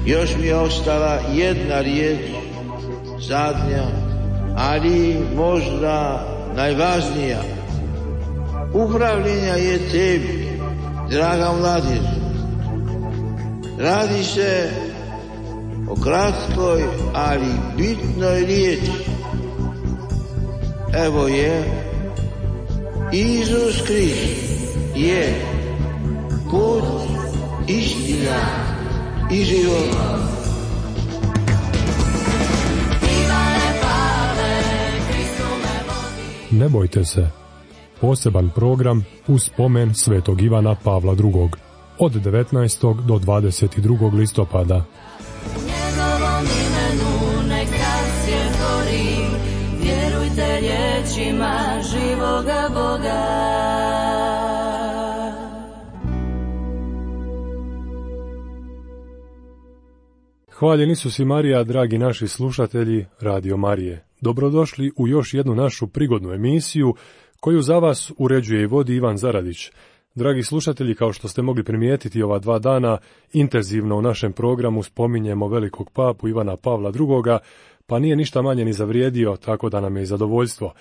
Još mi je ostala jedna riječ, zadnja, ali možda najvažnija. Upravljenja je tebi, draga mladež. Radi se o kratkoj, ali bitnoj riječi. Evo je, Isus Krist je put, istina i život. Ne bojte se. Poseban program u spomen svetog Ivana Pavla II. Od 19. do 22. listopada. Njegovom imenu nek zasje gori, vjerujte riječima živoga Boga. Hvaljen Isus i Marija, dragi naši slušatelji Radio Marije. Dobrodošli u još jednu našu prigodnu emisiju koju za vas uređuje i vodi Ivan Zaradić. Dragi slušatelji, kao što ste mogli primijetiti ova 2 dana, intenzivno u našem programu spominjemo velikog papu Ivana Pavla II, pa nije ništa manje ni zavrijedio, tako da nam je i zadovoljstvo.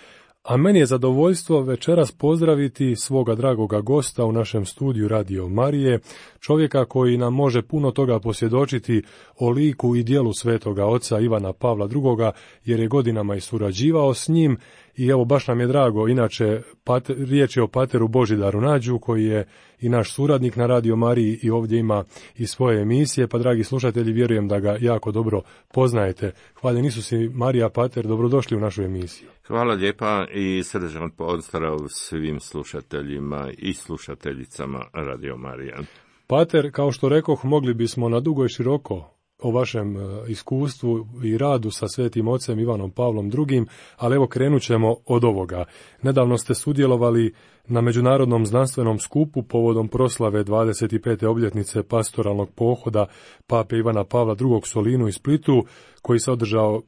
A meni je zadovoljstvo večeras pozdraviti svoga dragoga gosta u našem studiju Radio Marije, čovjeka koji nam može puno toga posvjedočiti o liku i djelu svetoga oca Ivana Pavla II, jer je godinama i surađivao s njim. I evo, baš nam je drago, inače riječ je o pateru Božidaru Nađu, koji je i naš suradnik na Radio Mariji i ovdje ima i svoje emisije, pa dragi slušatelji, vjerujem da ga jako dobro poznajete. Hvaljen Isus i Marija, pater, dobrodošli u našu emisiju. Hvala lijepa i srdačan pozdrav svim slušateljima i slušateljicama Radio Marija. Pater, kao što rekoh, mogli bismo na dugo i široko o vašem iskustvu i radu sa svetim ocem Ivanom Pavlom II, ali evo krenut ćemo od ovoga. Nedavno ste sudjelovali na Međunarodnom znanstvenom skupu povodom proslave 25. obljetnice pastoralnog pohoda pape Ivana Pavla II. Solinu i Splitu, koji se održao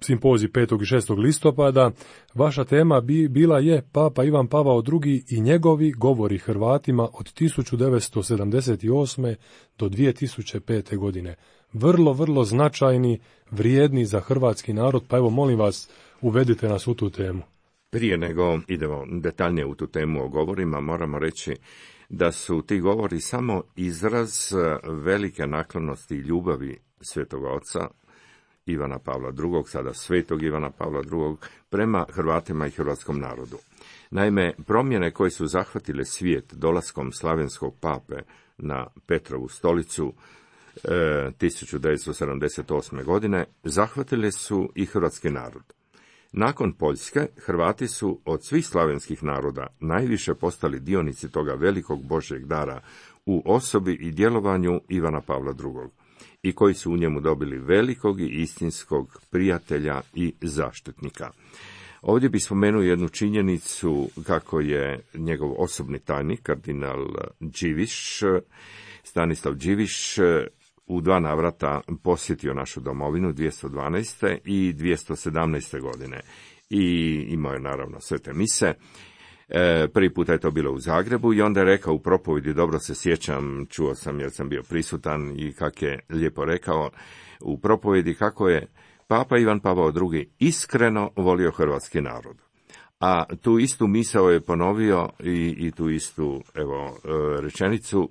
simpozij 5. i 6. listopada. Vaša tema bila je Papa Ivan Pavao II. I njegovi govori Hrvatima od 1978. do 2005. godine. Vrlo značajni, vrijedni za hrvatski narod, pa evo molim vas, uvedite nas u tu temu. Prije nego idemo detaljnije u tu temu o govorima, moramo reći da su ti govori samo izraz velike naklonosti i ljubavi svetog oca Ivana Pavla II, sada svetog Ivana Pavla II, prema Hrvatima i hrvatskom narodu. Naime, promjene koje su zahvatile svijet dolaskom slavenskog pape na Petrovu stolicu 1978. godine zahvatile su i hrvatski narod. Nakon Poljske, Hrvati su od svih slavenskih naroda najviše postali dionici toga velikog Božjeg dara u osobi i djelovanju Ivana Pavla II. I koji su u njemu dobili velikog i istinskog prijatelja i zaštitnika. Ovdje bih spomenuo jednu činjenicu kako je njegov osobni tajnik, kardinal Điviš, Stanislav Điviš, u 2 navrata posjetio našu domovinu 212. i 217. godine. I imao je naravno svete mise. Prvi puta je to bilo u Zagrebu i onda je rekao u propovjedi, dobro se sjećam, čuo sam jer sam bio prisutan i kako je lijepo rekao u propovjedi kako je Papa Ivan Pavao II. Iskreno volio hrvatski narod. A tu istu misao je ponovio i tu istu rečenicu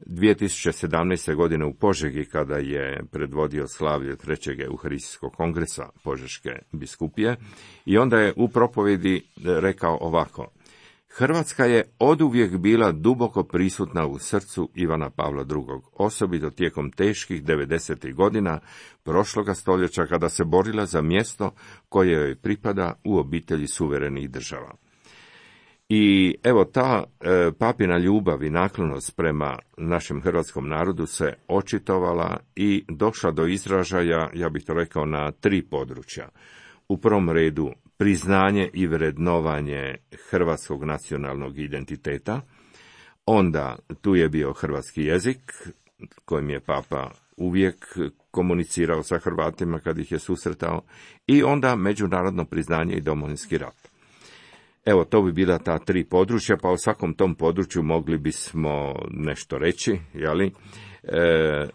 2017. godine u Požegi, kada je predvodio slavlje 3. Euharistijskog kongresa Požeške biskupije, i onda je u propovjedi rekao ovako: Hrvatska je oduvijek bila duboko prisutna u srcu Ivana Pavla II, osobito tijekom teških 90. godina prošloga stoljeća, kada se borila za mjesto koje joj pripada u obitelji suverenih država. I evo, ta papina ljubav i naklonost prema našem hrvatskom narodu se očitovala i došla do izražaja, ja bih to rekao, na 3 područja. U prvom redu priznanje i vrednovanje hrvatskog nacionalnog identiteta, onda tu je bio hrvatski jezik, kojim je Papa uvijek komunicirao sa Hrvatima kad ih je susretao, i onda međunarodno priznanje i Domovinski rat. Evo, to bi bila ta 3 područja, pa o svakom tom području mogli bismo nešto reći, jeli?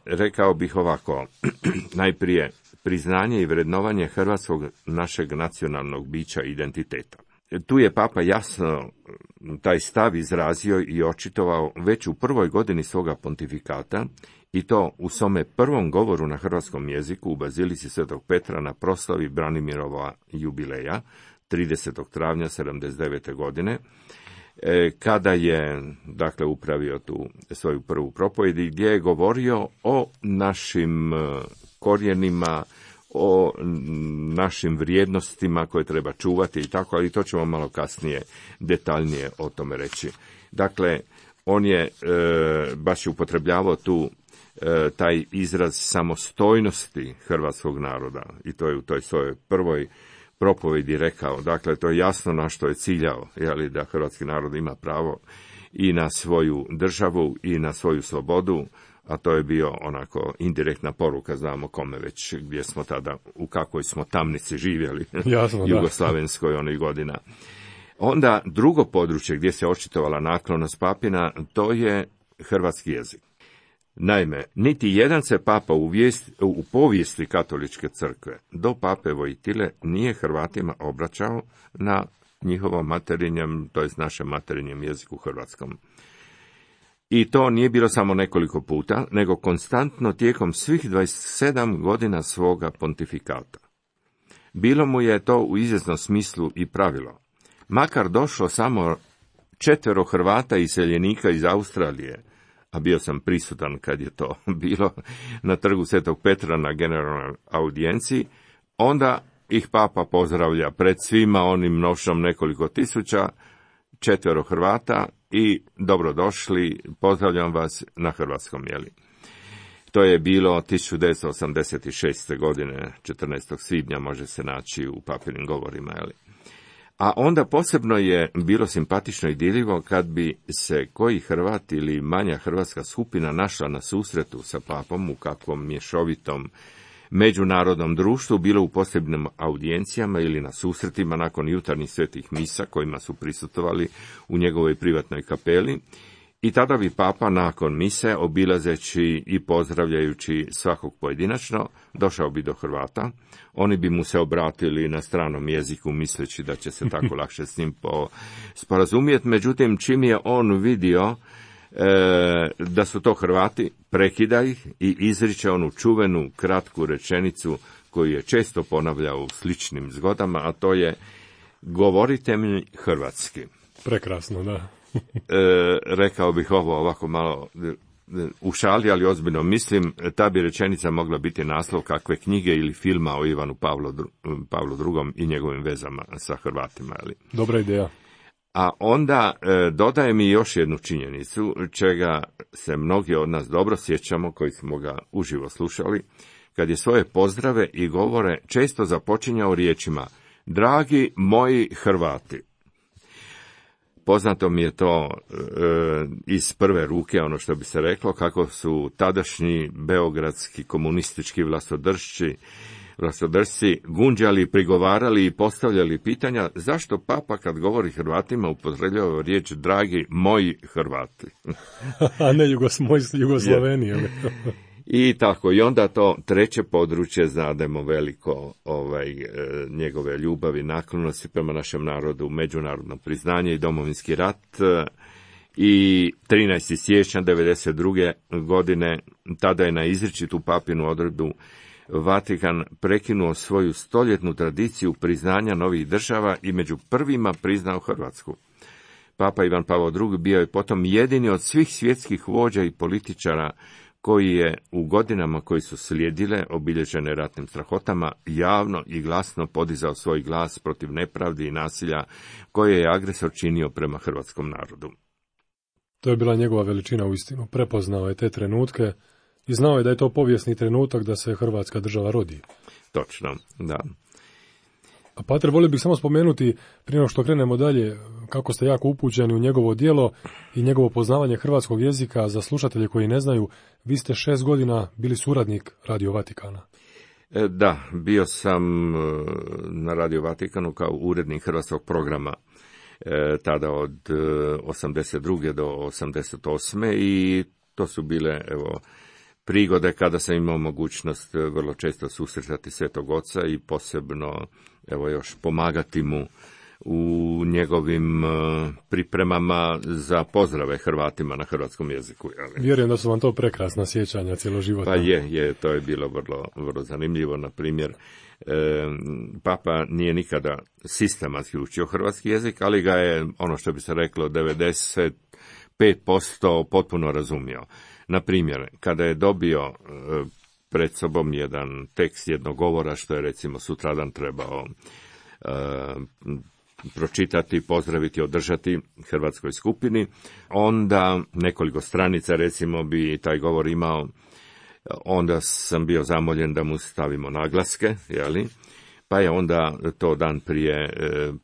Rekao bih ovako, najprije priznanje i vrednovanje hrvatskog našeg nacionalnog bića i identiteta. Tu je Papa jasno taj stav izrazio i očitovao već u prvoj godini svoga pontifikata, i to u svome prvom govoru na hrvatskom jeziku u Bazilici Svetog Petra na proslavi Branimirova jubileja, 30. travnja 79. godine, kada je, dakle, upravio tu svoju prvu propovjed, gdje je govorio o našim korijenima, o našim vrijednostima koje treba čuvati i tako, ali to ćemo malo kasnije detaljnije o tome reći. Dakle, on je baš upotrebljavao tu taj izraz samostojnosti hrvatskog naroda, i to je u toj svojoj prvoj propovjedi rekao. Dakle, to je jasno na što je ciljao, jeli, da hrvatski narod ima pravo i na svoju državu i na svoju slobodu, a to je bio onako indirektna poruka, znamo kome već, gdje smo tada, u kakvoj smo tamnici živjeli, jasno, jugoslavenskoj onih godina. Onda drugo područje gdje se očitovala naklonost papina, to je hrvatski jezik. Naime, niti jedan se papa u povijesti katoličke crkve do pape Vojtile nije Hrvatima obraćao na njihovom materinjem, to jest našem materinjem jeziku hrvatskom. I to nije bilo samo nekoliko puta, nego konstantno tijekom svih 27 godina svoga pontifikata. Bilo mu je to u izvjesnom smislu i pravilo. Makar došlo samo 4 Hrvata iseljenika iz Australije, a bio sam prisutan kad je to bilo na trgu Svetog Petra na generalnoj audijenciji, onda ih papa pozdravlja pred svima onim mnošom nekoliko tisuća, 4 Hrvata i dobrodošli, pozdravljam vas na hrvatskom, jeli. To je bilo 1986. godine, 14. svibnja može se naći u papinim govorima, jeli. A onda posebno je bilo simpatično i dirljivo kad bi se koji Hrvat ili manja hrvatska skupina našla na susretu sa papom u kakvom mješovitom međunarodnom društvu, bilo u posebnim audijencijama ili na susretima nakon jutarnjih svetih misa kojima su prisustvovali u njegovoj privatnoj kapeli. I tada bi papa nakon mise, obilazeći i pozdravljajući svakog pojedinačno, došao bi do Hrvata. Oni bi mu se obratili na stranom jeziku, misleći da će se tako lakše s njim sporazumjeti. Međutim, čim je on vidio da su to Hrvati, prekida ih i izriče onu čuvenu kratku rečenicu koju je često ponavljao u sličnim zgodama, a to je: govorite mi hrvatski. Prekrasno, da. Rekao bih ovo ovako malo u šali, ali ozbiljno mislim, ta bi rečenica mogla biti naslov kakve knjige ili filma o Ivanu Pavlu II. I njegovim vezama sa Hrvatima. Ali. Dobra ideja. A onda dodaje mi još jednu činjenicu, čega se mnogi od nas dobro sjećamo, koji smo ga uživo slušali, kad je svoje pozdrave i govore često započinjao riječima: dragi moji Hrvati. Poznato mi je to iz prve ruke, ono što bi se reklo, kako su tadašnji beogradski komunistički vlastodršci gunđali, prigovarali i postavljali pitanja zašto papa kad govori Hrvatima upotrebljava riječ dragi moji Hrvati. A ne Jugoslaveni. I tako, i onda to treće područje, znademo veliko njegove ljubavi, naklonosti prema našem narodu, međunarodno priznanje i domovinski rat. I 13. siječnja 1992. godine, tada je na izričitu papinu odredbu Vatikan prekinuo svoju stoljetnu tradiciju priznanja novih država i među prvima priznao Hrvatsku. Papa Ivan Pavao II. Bio je potom jedini od svih svjetskih vođa i političara koji je u godinama koji su slijedile, obilježene ratnim strahotama, javno i glasno podizao svoj glas protiv nepravdi i nasilja koje je agresor činio prema hrvatskom narodu. To je bila njegova veličina uistinu. Prepoznao je te trenutke i znao je da je to povijesni trenutak da se Hrvatska država rodi. Točno, da. A pater, volio bih samo spomenuti, prije nego što krenemo dalje, kako ste jako upućeni u njegovo djelo i njegovo poznavanje hrvatskog jezika. Za slušatelje koji ne znaju, vi ste 6 godina bili suradnik Radio Vatikana. Da, bio sam na Radio Vatikanu kao urednik hrvatskog programa. tada od 82. do 88. i to su bile, evo, prigode kada sam imao mogućnost vrlo često susretati Svetog Oca i posebno, evo, još pomagati mu u njegovim pripremama za pozdrave Hrvatima na hrvatskom jeziku. Vjerujem da su vam to prekrasna sjećanja cjeloživotna. Pa je, to je bilo vrlo zanimljivo. Na primjer, Papa nije nikada sistematski učio hrvatski jezik, ali ga je, ono što bi se reklo, 95% potpuno razumio. Na primjer, kada je dobio pred sobom jedan tekst jednog govora, što je recimo sutradan trebao pročitati, pozdraviti, održati hrvatskoj skupini, onda nekoliko stranica recimo bi taj govor imao, onda sam bio zamoljen da mu stavimo naglaske, pa je onda to dan prije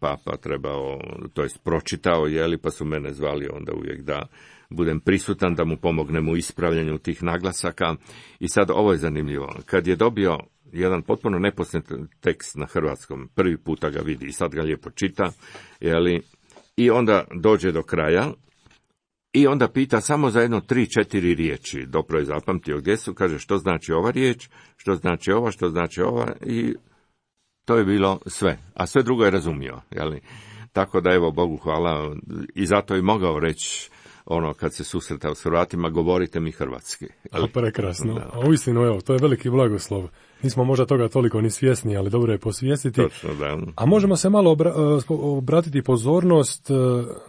Papa trebao, to jest pročitao, pa su mene zvali onda uvijek da budem prisutan, da mu pomognem u ispravljanju tih naglasaka. I sad ovo je zanimljivo, kad je dobio jedan potpuno nepoznat tekst na hrvatskom, prvi puta ga vidi i sad ga lijepo čita, i onda dođe do kraja i onda pita samo za 3-4 riječi, dobro je zapamtio gdje su, kaže što znači ova riječ, što znači ova, i to je bilo sve, a sve drugo je razumio, Tako da, evo, Bogu hvala, i zato je mogao reći, kad se susretao s Hrvatima, govorite mi hrvatski. Prekrasno. Da. A uistinu, evo, to je veliki blagoslov. Nismo možda toga toliko ni svjesni, ali dobro je posvijestiti. Točno, da. A možemo se malo obratiti pozornost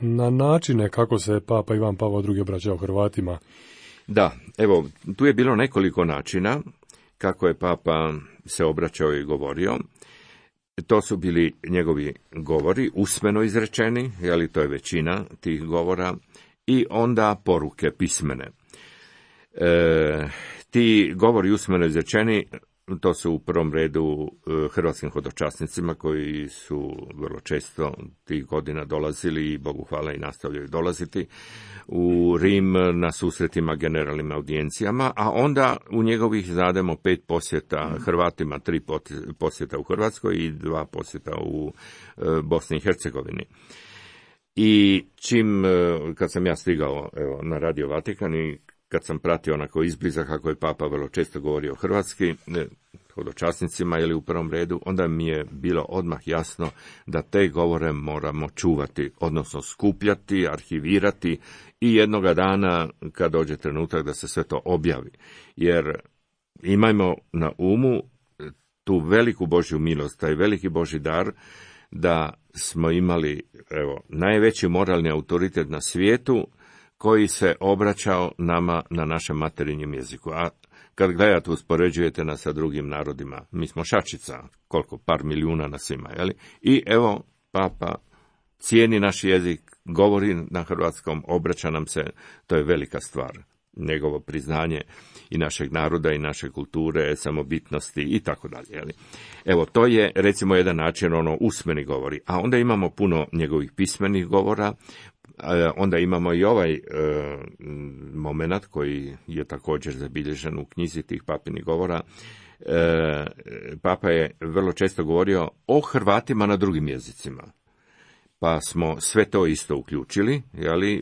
na načine kako se Papa Ivan Pavao II obraćao Hrvatima. Da, evo, tu je bilo nekoliko načina kako je Papa se obraćao i govorio. To su bili njegovi govori, usmeno izrečeni, to je većina tih govora, i onda poruke pismene. Ti govori usmeno izrečeni, to su u prvom redu hrvatskim hodočasnicima koji su vrlo često tih godina dolazili i Bogu hvala i nastavljaju dolaziti u Rim na susretima, generalnim audijencijama, a onda u njegovih zademo 5 posjeta Hrvatima, 3 posjeta u Hrvatskoj i 2 posjeta u Bosni i Hercegovini. I kad sam ja stigao na Radio Vatikan i kad sam pratio onako izbliza kako je Papa vrlo često govorio hrvatski, hodočasnicima u prvom redu, onda mi je bilo odmah jasno da te govore moramo čuvati, odnosno skupljati, arhivirati i jednoga dana kad dođe trenutak da se sve to objavi. Jer imajmo na umu tu veliku Božju milost, taj veliki Božji dar, da smo imali, najveći moralni autoritet na svijetu koji se obraćao nama na našem materinjem jeziku. A kad gledate, uspoređujete nas sa drugim narodima, mi smo šačica, koliko, par milijuna na svima, I evo, Papa cijeni naš jezik, govori na hrvatskom, obraća nam se, to je velika stvar. Njegovo priznanje i našeg naroda i naše kulture, samobitnosti i tako dalje. Evo, to je recimo jedan način, usmeni govori. A onda imamo puno njegovih pismenih govora, onda imamo i ovaj moment koji je također zabilježen u knjizi tih papinih govora. Papa je vrlo često govorio o Hrvatima na drugim jezicima. Pa smo sve to isto uključili,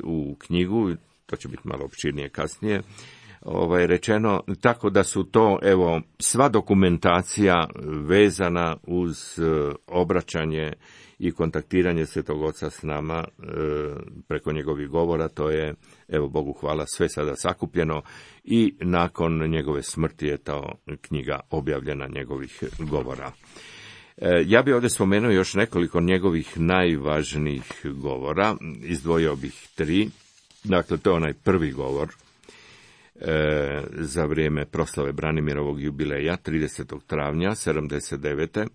u knjigu, to će biti malo opširnije kasnije, rečeno, tako da su to, sva dokumentacija vezana uz obraćanje i kontaktiranje Svetog Oca s nama preko njegovih govora, to je, Bogu hvala, sve sada sakupljeno i nakon njegove smrti je ta knjiga objavljena njegovih govora. Ja bih ovdje spomenuo još nekoliko njegovih najvažnijih govora, izdvojio bih 3. Dakle, to je onaj prvi govor za vrijeme proslave Branimirovog jubileja, 30. travnja 79.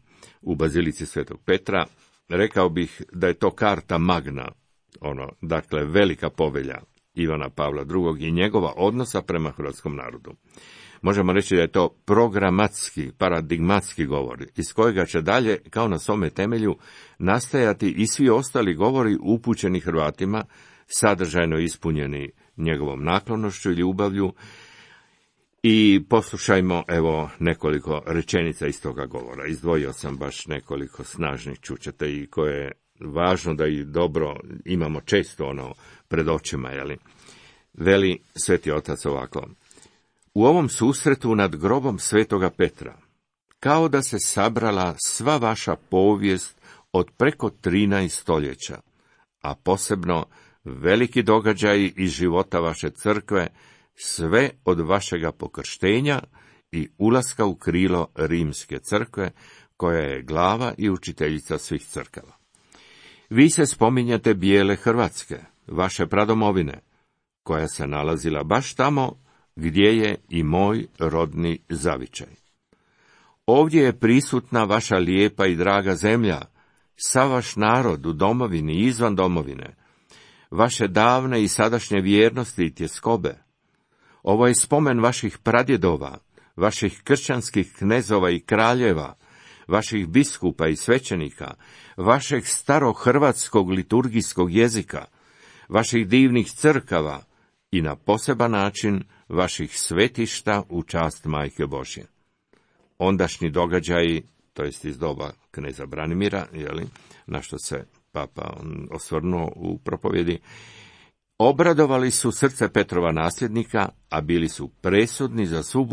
u Bazilici Svetog Petra. Rekao bih da je to karta magna, dakle, velika povelja Ivana Pavla II. I njegova odnosa prema hrvatskom narodu. Možemo reći da je to programatski, paradigmatski govor, iz kojega će dalje, kao na svome temelju, nastajati i svi ostali govori upućeni Hrvatima, sadržajno ispunjeni njegovom naklonošću i ljubavlju. I poslušajmo, nekoliko rečenica iz toga govora. Izdvojio sam baš nekoliko snažnih, čućete, i koje važno da i dobro imamo često ono pred očima, jeli. Veli Sveti Otac ovako: u ovom susretu nad grobom Svetoga Petra, kao da se sabrala sva vaša povijest od preko 13 stoljeća, a posebno veliki događaji iz života vaše crkve, sve od vašega pokrštenja i ulaska u krilo Rimske crkve, koja je glava i učiteljica svih crkava. Vi se spominjate bijele Hrvatske, vaše pradomovine, koja se nalazila baš tamo gdje je i moj rodni zavičaj. Ovdje je prisutna vaša lijepa i draga zemlja, sav vaš narod u domovini i izvan domovine, vaše davne i sadašnje vjernosti i tjeskobe. Ovo je spomen vaših pradjedova, vaših kršćanskih knezova i kraljeva, vaših biskupa i svećenika, vašeg starohrvatskog liturgijskog jezika, vaših divnih crkava i na poseban način vaših svetišta u čast Majke Božje. Ondašnji događaji, to jest iz doba kneza Branimira, na što se papa osvrnuo u propovjedi, obradovali su srce Petrova nasljednika, a bili su presudni za svu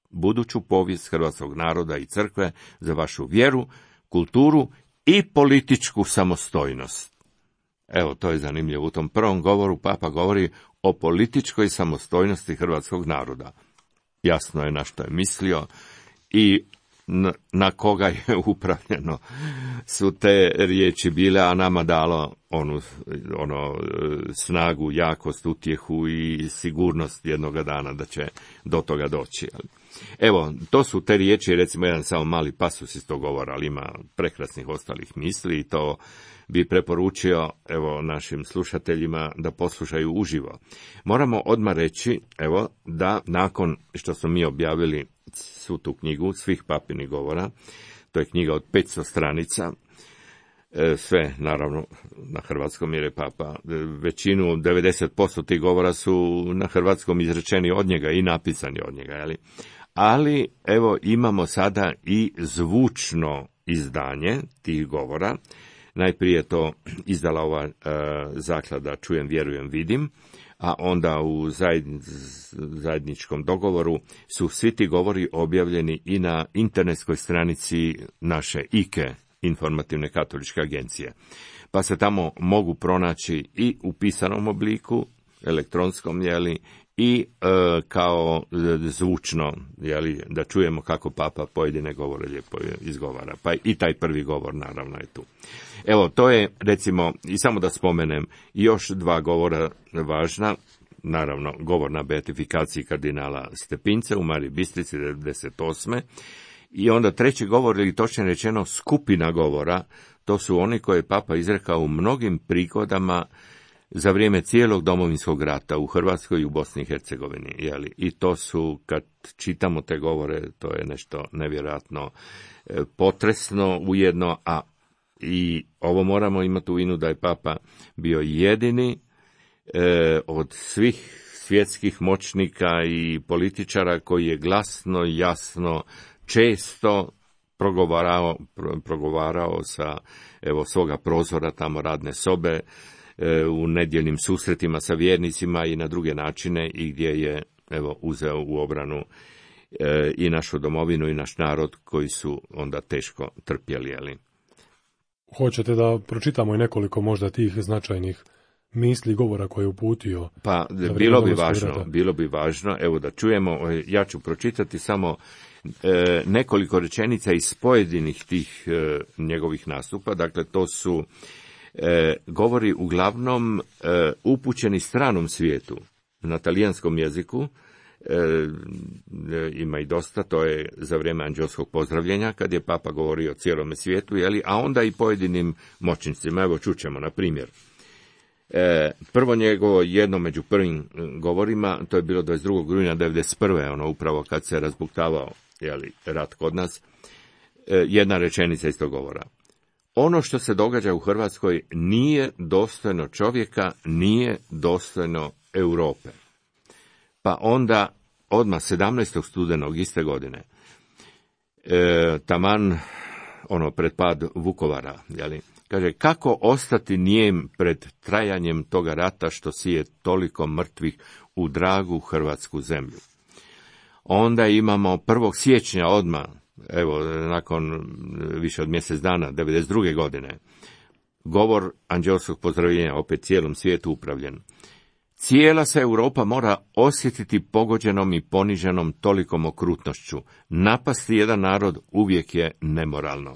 buduću povijest hrvatskog naroda i crkve, za vašu vjeru, kulturu i političku samostojnost. Evo, to je zanimljivo. U tom prvom govoru papa govori o političkoj samostojnosti hrvatskog naroda. Jasno je na što je mislio i na koga je upravljeno su te riječi bile, a nama dalo snagu, jakost, utjehu i sigurnost jednoga dana da će do toga doći. Evo, to su te riječi, recimo jedan samo mali pasus iz tog govora, ali ima prekrasnih ostalih misli i to bi preporučio našim slušateljima da poslušaju uživo. Moramo odmah reći da nakon što smo mi objavili svu tu knjigu, svih papinih govora, to je knjiga od 500 stranica, sve naravno na hrvatskom jer je papa, većinu, 90% tih govora su na hrvatskom izrečeni od njega i napisani od njega, ali imamo sada i zvučno izdanje tih govora. Najprije to izdala ova zaklada Čujem, vjerujem, vidim, a onda u zajedničkom dogovoru su svi ti govori objavljeni i na internetskoj stranici naše IKE, Informativne katoličke agencije. Pa se tamo mogu pronaći i u pisanom obliku, elektronskom, i kao zvučno, da čujemo kako papa pojedine govore lijepo izgovara. Pa i taj prvi govor naravno je tu. To je, recimo, i samo da spomenem, još 2 govora važna, naravno, govor na beatifikaciji kardinala Stepince u Mariji Bistrici 98. I onda 3. govor, ili točnije rečeno skupina govora, to su oni koje je papa izrekao u mnogim prigodama za vrijeme cijelog Domovinskog rata u Hrvatskoj i u Bosni i Hercegovini. I to su, kad čitamo te govore, to je nešto nevjerojatno potresno ujedno, a i ovo moramo imati u vidu da je papa bio jedini od svih svjetskih moćnika i političara koji je glasno, jasno, često progovarao sa svoga prozora, tamo radne sobe, u nedjeljnim susretima sa vjernicima i na druge načine, i gdje je uzeo u obranu i našu domovinu i naš narod koji su onda teško trpjeli. Hoćete da pročitamo i nekoliko možda tih značajnih misli govora koje je uputio? Pa bilo bi važno, da čujemo. Ja ću pročitati samo nekoliko rečenica iz pojedinih tih njegovih nastupa. Dakle, to su govori uglavnom upućeni stranom svijetu, na talijanskom jeziku. Ima i dosta, to je za vrijeme anđelskog pozdravljenja, kad je papa govorio o cijelome svijetu, a onda i pojedinim moćnicima. Čućemo, na primjer. Prvo njegovo, jedno među prvim govorima, to je bilo 22. rujna 1991. Upravo kad se razbuktavao rat kod nas, jedna rečenica iz tog govora. Ono što se događa u Hrvatskoj nije dostojno čovjeka, nije dostojno Europe. Pa onda, odmah 17. studenog iste godine, taman pred pad Vukovara, jeli? Kaže, kako ostati nijem pred trajanjem toga rata što sije toliko mrtvih u dragu hrvatsku zemlju. Onda imamo 1. siječnja odmah, evo, nakon više od mjesec dana, 92. godine, govor anđelskog pozdravljenja, opet cijelom svijetu upravljen. Cijela se Europa mora osjetiti pogođenom i poniženom tolikom okrutnošću. Napasti jedan narod uvijek je nemoralno.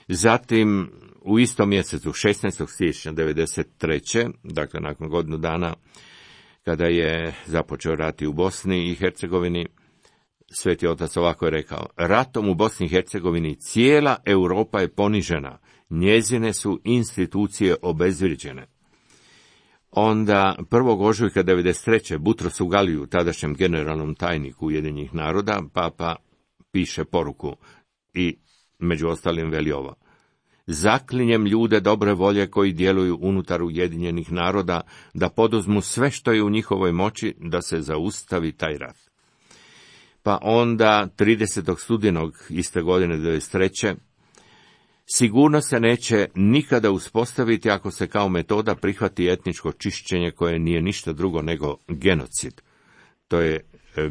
Zatim, u istom mjesecu, 16. siječnja 1993. dakle nakon godinu dana, kada je započeo rat u Bosni i Hercegovini, Sveti Otac ovako je rekao: ratom u Bosni i Hercegovini cijela Europa je ponižena, njezine su institucije obezvrijeđene. Onda 1. ožujka 1993. Butrosu Galiju, tadašnjem generalnom tajniku Ujedinjenih naroda, papa piše poruku i među ostalim veli ovo: zaklinjem ljude dobre volje koji djeluju unutar Ujedinjenih naroda da poduzmu sve što je u njihovoj moći da se zaustavi taj rat. Pa onda 30. studenog iste godine 1993. sigurno se neće nikada uspostaviti ako se kao metoda prihvati etničko čišćenje koje nije ništa drugo nego genocid. To je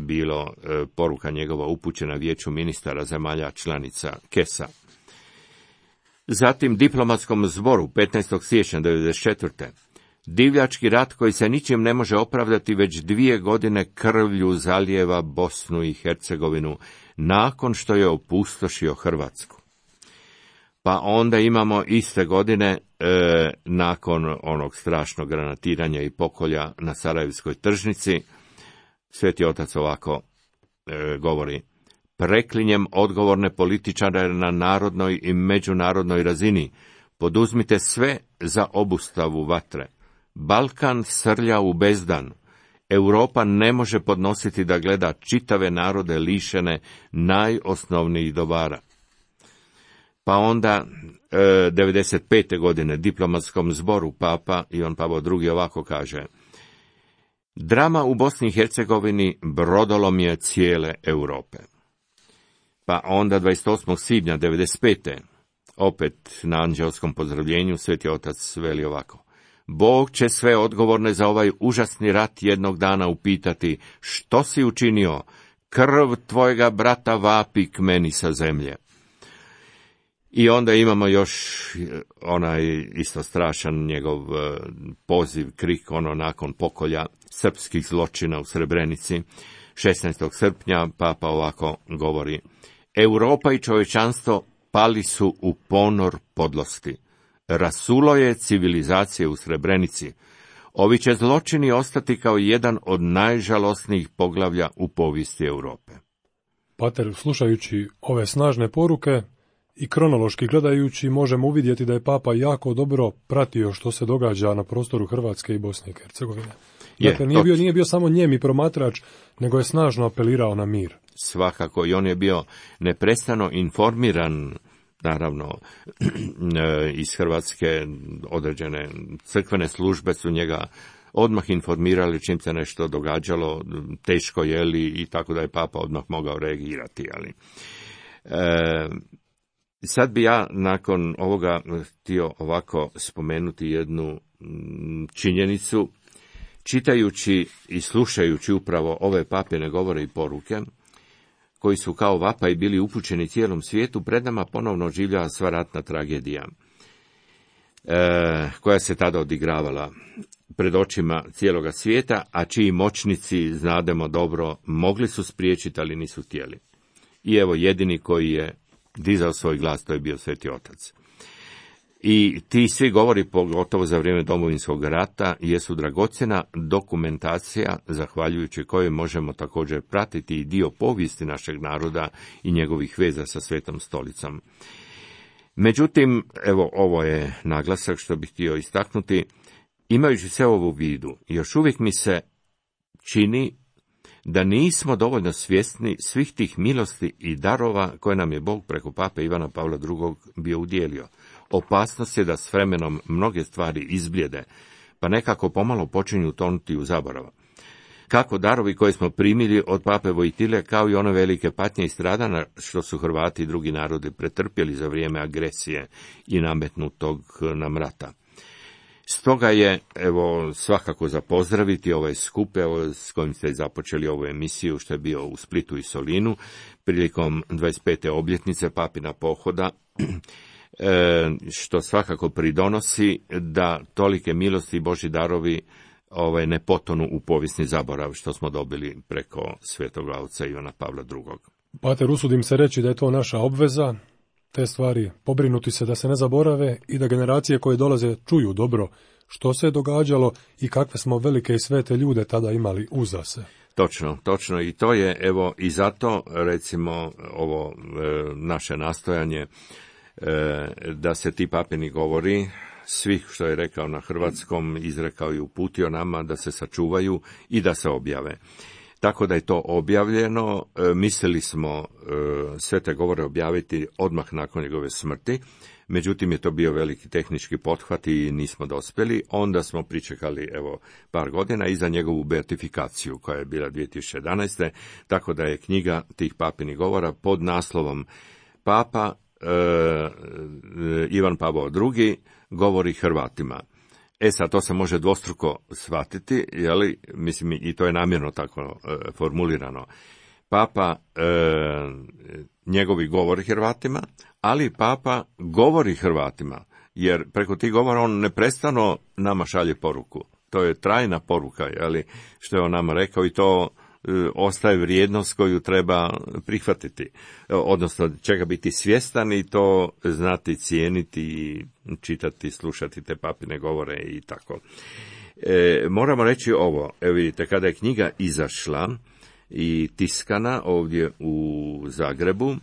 bilo poruka njegova upućena Vijeću ministara zemalja članica KES-a. Zatim diplomatskom zboru 15. siječnja 1994. divljački rat koji se ničim ne može opravdati već 2 godine krvlju zalijeva Bosnu i Hercegovinu nakon što je opustošio Hrvatsku. Pa onda imamo iste godine, nakon onog strašnog granatiranja i pokolja na Sarajevskoj tržnici, Sveti Otac ovako govori: preklinjem odgovorne političare na narodnoj i međunarodnoj razini, poduzmite sve za obustavu vatre. Balkan srlja u bezdan. Europa ne može podnositi da gleda čitave narode lišene najosnovnijih dobara. Pa onda 95. godine diplomatskom zboru papa Ivan Pavao II. Ovako kaže: drama u Bosni i Hercegovini brodolom je cijele Europe. Pa onda 28. svibnja 95. opet na anđelskom pozdravljenju Sveti Otac veli ovako: Bog će sve odgovorne za ovaj užasni rat jednog dana upitati: što si učinio? Krv tvojega brata vapi k meni sa zemlje. I onda imamo još onaj isto strašan njegov poziv, krik, nakon pokolja srpskih zločina u Srebrenici. 16. srpnja papa ovako govori: Europa i čovječanstvo pali su u ponor podlosti. Rasulo je civilizacije u Srebrenici. Ovi će zločini ostati kao jedan od najžalosnijih poglavlja u povijesti Europe. Pater, slušajući ove snažne poruke i kronološki gledajući, možemo uvidjeti da je papa jako dobro pratio što se događa na prostoru Hrvatske i Bosne i Hercegovine. Dakle, nije bio samo nijemi promatrač, nego je snažno apelirao na mir. Svakako, i on je bio neprestano informiran, naravno, iz Hrvatske određene crkvene službe su njega odmah informirali čim se nešto događalo, teško je li, i tako da je papa odmah mogao reagirati. Ali sad bi ja nakon ovoga htio ovako spomenuti jednu činjenicu. Čitajući i slušajući upravo ove papine govore i poruke, koji su kao vapaj bili upućeni cijelom svijetu, pred nama ponovno oživljava sva ratna tragedija, koja se tada odigravala pred očima cijeloga svijeta, a čiji moćnici, znademo dobro, mogli su spriječiti, ali nisu htjeli. I evo, jedini koji je dizao svoj glas, to je bio Sveti Otac. I ti svi govori, pogotovo za vrijeme Domovinskog rata, jesu dragocjena dokumentacija, zahvaljujući kojoj možemo također pratiti i dio povijesti našeg naroda i njegovih veza sa Svetom stolicom. Međutim, evo, ovo je naglasak što bih htio istaknuti. Imajući sve ovo u vidu, još uvijek mi se čini da nismo dovoljno svjesni svih tih milosti i darova koje nam je Bog preko pape Ivana Pavla II. Bio udjelio. Opasnost je da s vremenom mnoge stvari izbljede, pa nekako pomalo počinju tonuti u zaborav. kako darovi koje smo primili od pape Vojtile, kao i one velike patnje i stradanja što su Hrvati i drugi narodi pretrpjeli za vrijeme agresije i nametnutog nam rata. Stoga je, evo, svakako za pozdraviti ovaj skup, evo, s kojim ste započeli ovu emisiju, što je bio u Splitu i Solinu, prilikom 25. obljetnice papina pohoda, što svakako pridonosi da tolike milosti i Božji darovi ne potonu u povijesni zaborav, što smo dobili preko svetog oca Ivana Pavla II. Pater, usudim se reći da je to naša obveza, te stvari pobrinuti se da se ne zaborave i da generacije koje dolaze čuju dobro što se je događalo i kakve smo velike i svete ljude tada imali uza se. Točno, i to je, evo, i zato, recimo, ovo naše nastojanje da se ti papini govori, svih što je rekao na hrvatskom, izrekao i uputio nama, da se sačuvaju i da se objave. Tako da je to objavljeno, mislili smo sve te govore objaviti odmah nakon njegove smrti, međutim je to bio veliki tehnički pothvat i nismo dospjeli, onda smo pričekali par godina i za njegovu beatifikaciju koja je bila 2011. Tako da je knjiga tih papinih govora pod naslovom Papa Ivan Pavao II. Govori Hrvatima. Sad, to se može dvostruko shvatiti, mislim, i to je namjerno tako formulirano. Papa njegovi govori Hrvatima, ali Papa govori Hrvatima, jer preko tih govora on neprestano nama šalje poruku. To je trajna poruka, što je on nama rekao, i to ostaje vrijednost koju treba prihvatiti, odnosno čega biti svjestan i to znati cijeniti, čitati, slušati te papine govore i tako. Moramo reći ovo, evo vidite, kada je knjiga izašla i tiskana ovdje u Zagrebu,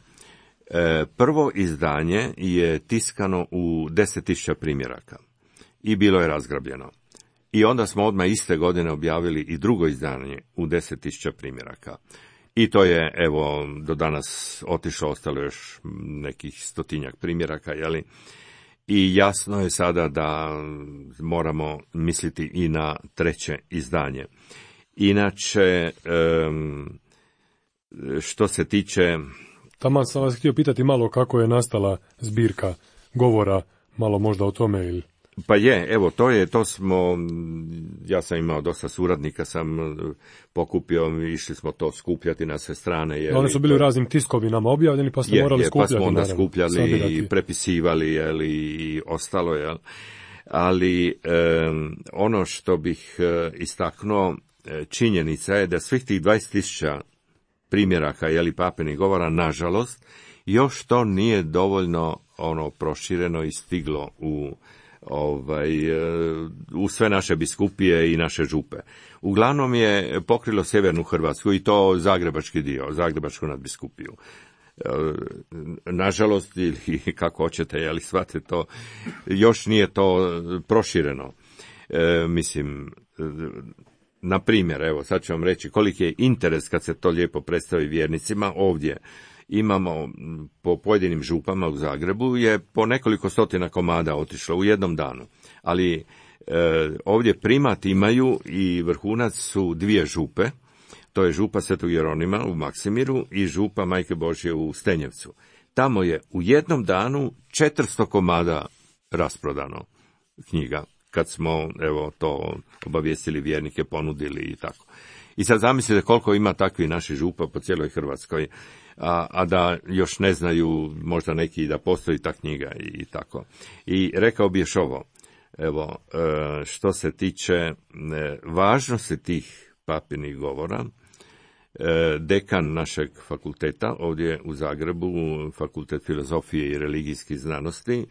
prvo izdanje je tiskano u 10.000 primjeraka i bilo je razgrabljeno. I onda smo odmah iste godine objavili i drugo izdanje u 10.000 primjeraka. I to je, evo, do danas otišlo, ostalo još nekih 100-tinjak primjeraka, I jasno je sada da moramo misliti i na treće izdanje. Inače, što se tiče... Taman sam vas htio pitati malo kako je nastala zbirka govora, malo možda o tome ili... Pa je, evo, to smo, ja sam imao dosta suradnika, sam pokupio, išli smo to skupljati na sve strane. Oni su bili u raznim tiskovinama objavljeni, pa ste morali skupljati. Pa smo onda skupljali i prepisivali, i ostalo, Ali ono što bih istaknuo, činjenica je da svih tih 20.000 primjeraka, papinih govora, nažalost, još to nije dovoljno prošireno i stiglo u sve naše biskupije i naše župe. Uglavnom je pokrilo sjevernu Hrvatsku i to zagrebački dio, zagrebačku nadbiskupiju. Nažalost, ili kako hoćete, shvatite to, još nije to prošireno. Mislim, na primjer, evo, sad ću vam reći koliki je interes kad se to lijepo predstavi vjernicima. Ovdje imamo po pojedinim župama u Zagrebu je po nekoliko stotina komada otišlo u jednom danu, ali ovdje primat imaju i vrhunac su 2 župe, to je župa Svetog Jeronima u Maksimiru i župa Majke Božje u Stenjevcu. Tamo je u jednom danu 400 komada rasprodano knjiga, kad smo, evo, to obavijestili vjernike, ponudili i tako. I sad zamislite koliko ima takvih naših župa po cijeloj Hrvatskoj, a da još ne znaju možda neki da postoji ta knjiga i tako. I rekao bi još ovo, evo, što se tiče važnosti tih papinih govora, dekan našeg fakulteta ovdje u Zagrebu, Fakultet filozofije i religijskih znanosti,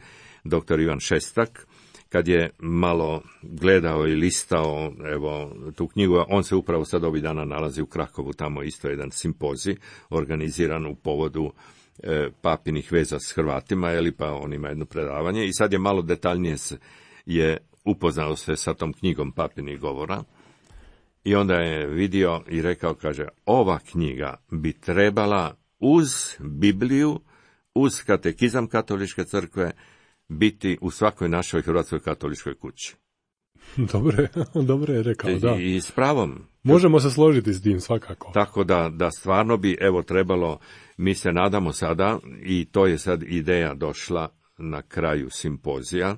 dr. Ivan Šestak, kad je malo gledao i listao, evo, tu knjigu, on se upravo sad ovih dana nalazi u Krakovu, tamo isto jedan simpozij organiziran u povodu papinih veza s Hrvatima, pa on ima jedno predavanje i sad je malo detaljnije je upoznao se sa tom knjigom papinih govora i onda je vidio i rekao, kaže, ova knjiga bi trebala uz Bibliju, uz katekizam katoličke crkve, biti u svakoj našoj hrvatskoj katoličkoj kući. Dobro je rekao, da. I s pravom. Možemo se složiti s tim, svakako. Tako da stvarno bi, evo, trebalo, mi se nadamo sada, i to je sad ideja došla na kraju simpozija,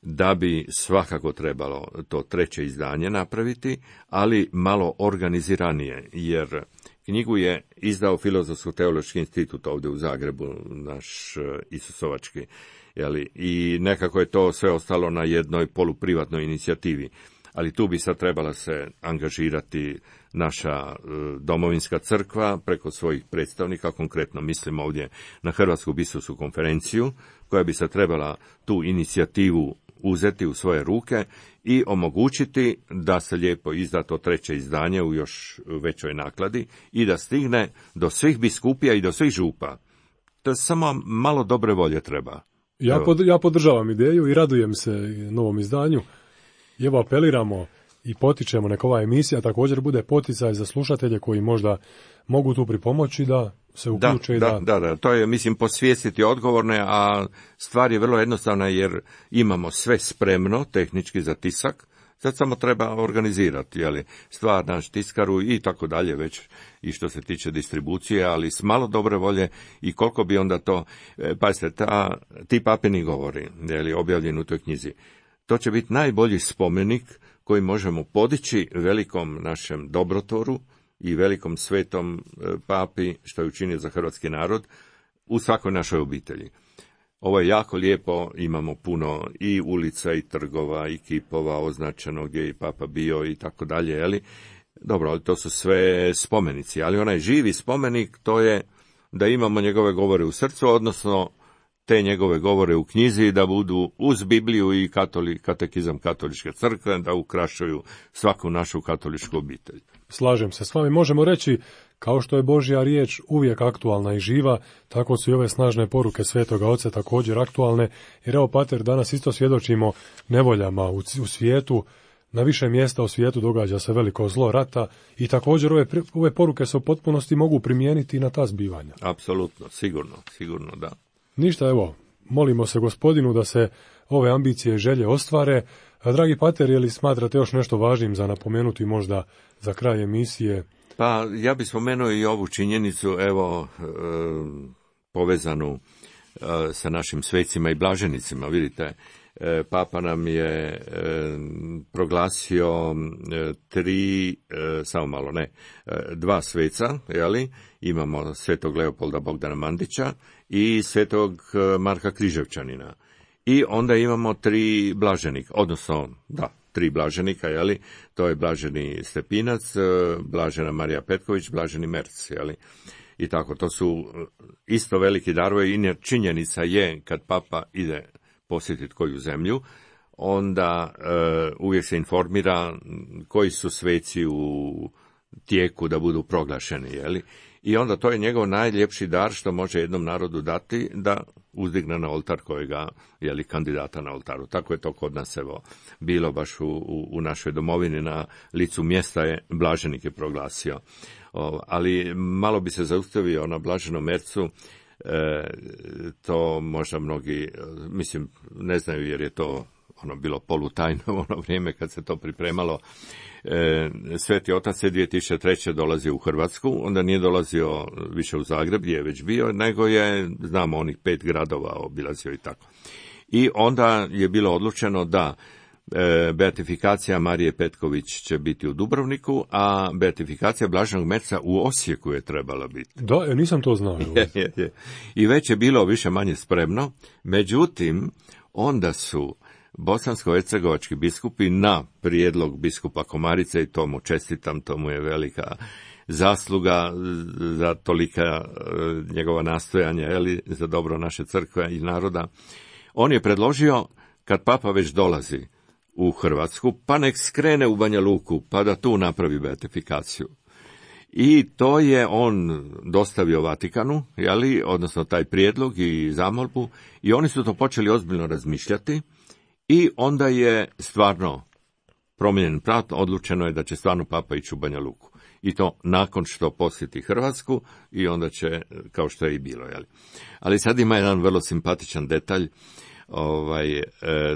da bi svakako trebalo to 3. izdanje napraviti, ali malo organiziranije, jer knjigu je izdao Filozofsko-teološki institut ovdje u Zagrebu, naš Isusovački, i nekako je to sve ostalo na jednoj poluprivatnoj inicijativi. Ali tu bi sad trebala se angažirati naša domovinska crkva preko svojih predstavnika, konkretno mislim ovdje na Hrvatsku biskupsku konferenciju, koja bi se trebala tu inicijativu uzeti u svoje ruke i omogućiti da se lijepo izda to 3. izdanje u još većoj nakladi i da stigne do svih biskupija i do svih župa. To je samo malo dobre volje treba. Ja podržavam ideju i radujem se novom izdanju. I evo apeliramo i potičemo neka ova emisija također bude poticaj za slušatelje koji možda mogu tu pripomoći da se uključe. Da, to je, mislim, posvijestiti odgovorne, a stvar je vrlo jednostavna jer imamo sve spremno tehnički za tisak, sad samo treba organizirati, stvar naš tiskaru i tako dalje već i što se tiče distribucije, ali s malo dobre volje i koliko bi onda to, pazite, ti papini govori, objavljeni u toj knjizi, to će biti najbolji spomenik koji možemo podići velikom našem dobrotvoru i velikom svetom papi, što je učinio za hrvatski narod, u svakoj našoj obitelji. Ovo je jako lijepo, imamo puno i ulica i trgova i kipova označeno gdje je papa bio i tako dalje, Dobro, ali to su sve spomenici, ali onaj živi spomenik, to je da imamo njegove govore u srcu, odnosno te njegove govore u knjizi da budu uz Bibliju i katekizam katoličke crkve, da ukrašuju svaku našu katoličku obitelj. Slažem se s vami, možemo reći, kao što je Božja riječ uvijek aktualna i živa, tako su i ove snažne poruke Svetoga Oca također aktualne, jer evo, pater, danas isto svjedočimo nevoljama u svijetu, na više mjesta u svijetu događa se veliko zlo rata i također ove poruke se u potpunosti mogu primijeniti na ta zbivanja. Apsolutno, sigurno da. Ništa, evo, molimo se Gospodinu da se ove ambicije i želje ostvare. A, dragi pater, je li smatrate još nešto važnim za napomenuti možda za kraj emisije? Pa, ja bih spomenuo i ovu činjenicu, evo, povezanu sa našim svecima i blaženicima. Vidite, Papa nam je proglasio 2 sveca, imamo svetog Leopolda Bogdana Mandića i svetog Marka Križevčanina. I onda imamo 3 blaženika, odnosno, 3 blaženika, to je blaženi Stepinac, blažena Marija Petković, blaženi Merc, I tako, to su isto veliki darovi, i činjenica je, kad Papa ide posjetiti koju zemlju, onda uvijek se informira koji su sveci u tijeku da budu proglašeni, I onda to je njegov najljepši dar što može jednom narodu dati, da uzdigne na oltar kojega, kandidata na oltaru. Tako je to kod nas, bilo baš u našoj domovini, na licu mjesta je blaženik je proglasio. Ali malo bi se zaustavio na blaženom Mercu, to možda mnogi, mislim, ne znaju jer je to bilo polutajno u ono vrijeme kad se to pripremalo. Sveti Otac je 2003. dolazio u Hrvatsku, onda nije dolazio više u Zagreb gdje je već bio, nego je, znamo, onih 5 gradova obilazio i tako. I onda je bilo odlučeno da beatifikacija Marije Petković će biti u Dubrovniku, a beatifikacija Blaženog Merca u Osijeku je trebala biti. Da, nisam to znao. Je. I već je bilo više manje spremno, međutim, onda su bosansko-hercegovački biskupi na prijedlog biskupa Komarice, i to mu čestitam, to mu je velika zasluga za tolika njegova nastojanja, za dobro naše crkve i naroda. On je predložio, kad Papa već dolazi u Hrvatsku, pa nek skrene u Banja Luku, pa da tu napravi beatifikaciju. I to je on dostavio Vatikanu, odnosno taj prijedlog i zamolbu, i oni su to počeli ozbiljno razmišljati, i onda je stvarno promijenjen prat, odlučeno je da će stvarno Papa ići u Banja Luku. I to nakon što posjeti Hrvatsku, i onda će, kao što je i bilo. Ali sad ima jedan vrlo simpatičan detalj,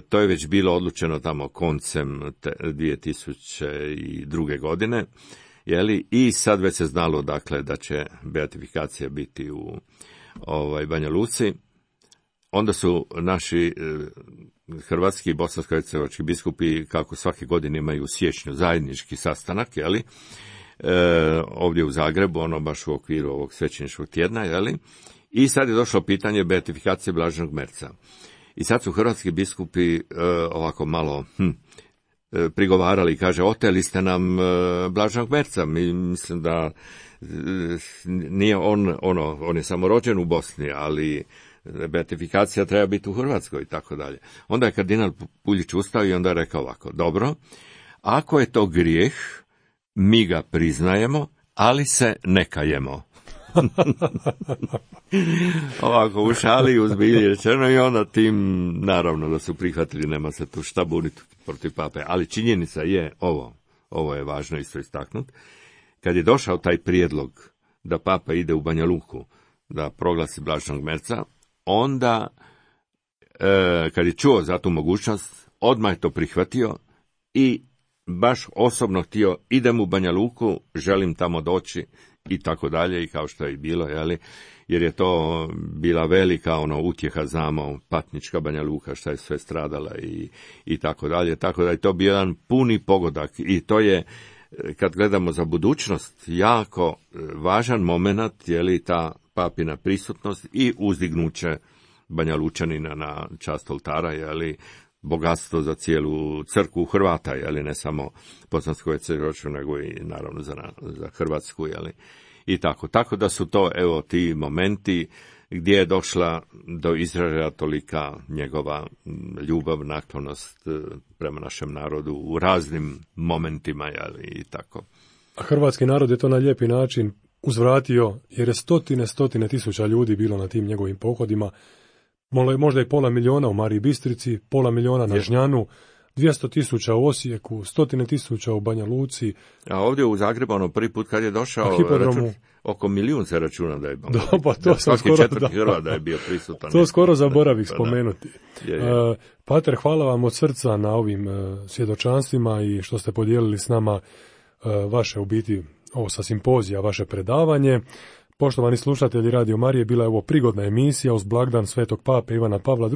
To je već bilo odlučeno tamo koncem 2002. godine, i sad već se znalo, dakle, da će beatifikacija biti u Banja Luci. Onda su naši hrvatski i bosansko-hercegovački biskupi, kako svake godine imaju u siječnju zajednički sastanak, ovdje u Zagrebu, baš u okviru ovog svećeničkog tjedna, i sad je došlo pitanje beatifikacije Blaženog Merca. I sad su hrvatski biskupi ovako malo prigovarali, kaže, oteli ste nam Blaženog Merca. Mislim da nije on je samo rođen u Bosni, ali beatifikacija treba biti u Hrvatskoj i tako dalje. Onda je kardinal Puljić ustao i onda je rekao ovako: dobro, ako je to grijeh, mi ga priznajemo, ali se ne kajemo. Ovako u šali, u zbilji rečeno, i onda tim, naravno da su prihvatili, nema se tu šta buniti protiv pape, ali činjenica je ovo je važno isto istaknuti, kad je došao taj prijedlog da papa ide u Banja Luku da proglasi Blaženog Merca, onda kad je čuo za tu mogućnost, odmah je to prihvatio i baš osobno htio, idem u Banja Luku, želim tamo doći i tako dalje, i kao što je i bilo, jer je to bila velika utjeha, znamo, patnička Banja Luka, šta je sve stradala i tako dalje, tako da je to bio jedan puni pogodak, i to je, kad gledamo za budućnost, jako važan moment, ta papina prisutnost i uzdignuće Banja Lučanina na čast oltara, bogatstvo za cijelu crkvu Hrvata, ne samo bosansko-hercegovačku, nego i naravno za Hrvatsku, i tako. Tako da su to, ti momenti gdje je došla do izražaja tolika njegova ljubav, naklonost prema našem narodu u raznim momentima, i tako. A hrvatski narod je to na lijepi način uzvratio, jer je stotine tisuća ljudi bilo na tim njegovim pohodima, možda i 500.000 u Mariji Bistrici, 500.000 na Žnjanu, 200.000 u Osijeku, 100.000 u Banja Luci. A ovdje u Zagrebu, prvi put kad je došao, oko 1 milijun se računa da je bilo. Svaki četvrti Hrvat da je bio prisutan. To skoro zaboravih spomenuti. Pater, hvala vam od srca na ovim svjedočanstvima i što ste podijelili s nama vaše, u biti, ovo sa simpozija, vaše predavanje. Poštovani slušatelji Radio Marije, bila je ovo prigodna emisija uz blagdan Svetog Pape Ivana Pavla II,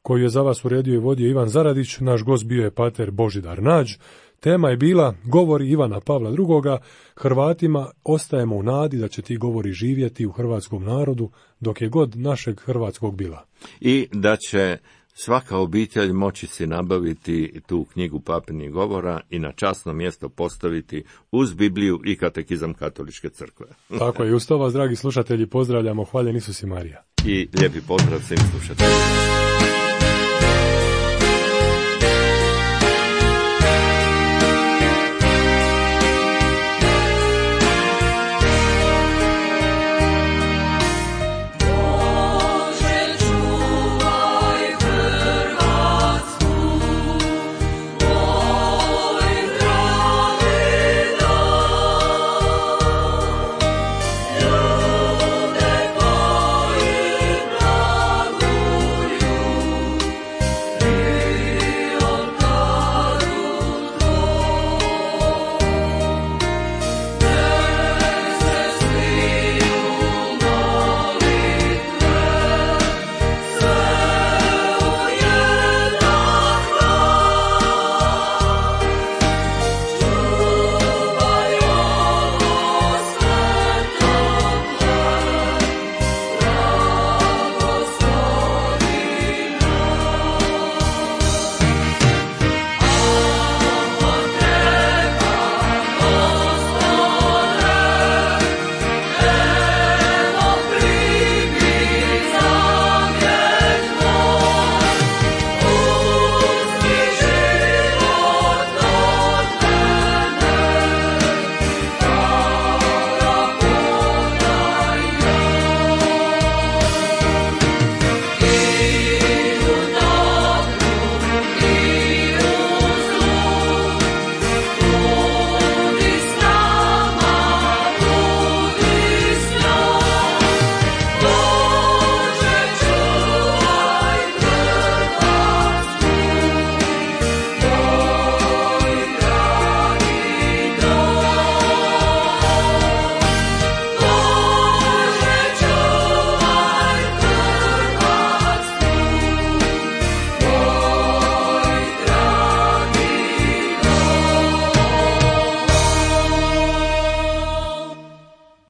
koju je za vas uredio i vodio Ivan Zaradić. Naš gost bio je pater Božidar Nađ. Tema je bila govori Ivana Pavla II. Hrvatima ostajemo u nadi da će ti govori živjeti u hrvatskom narodu dok je god našeg hrvatskog bila. I da će svaka obitelj moći si nabaviti tu knjigu papinih govora i na časno mjesto postaviti uz Bibliju i katekizam Katoličke crkve. Tako je, uz to vas, dragi slušatelji, pozdravljamo. Hvaljen Isus i Marija. I lijepi pozdrav svim slušateljima.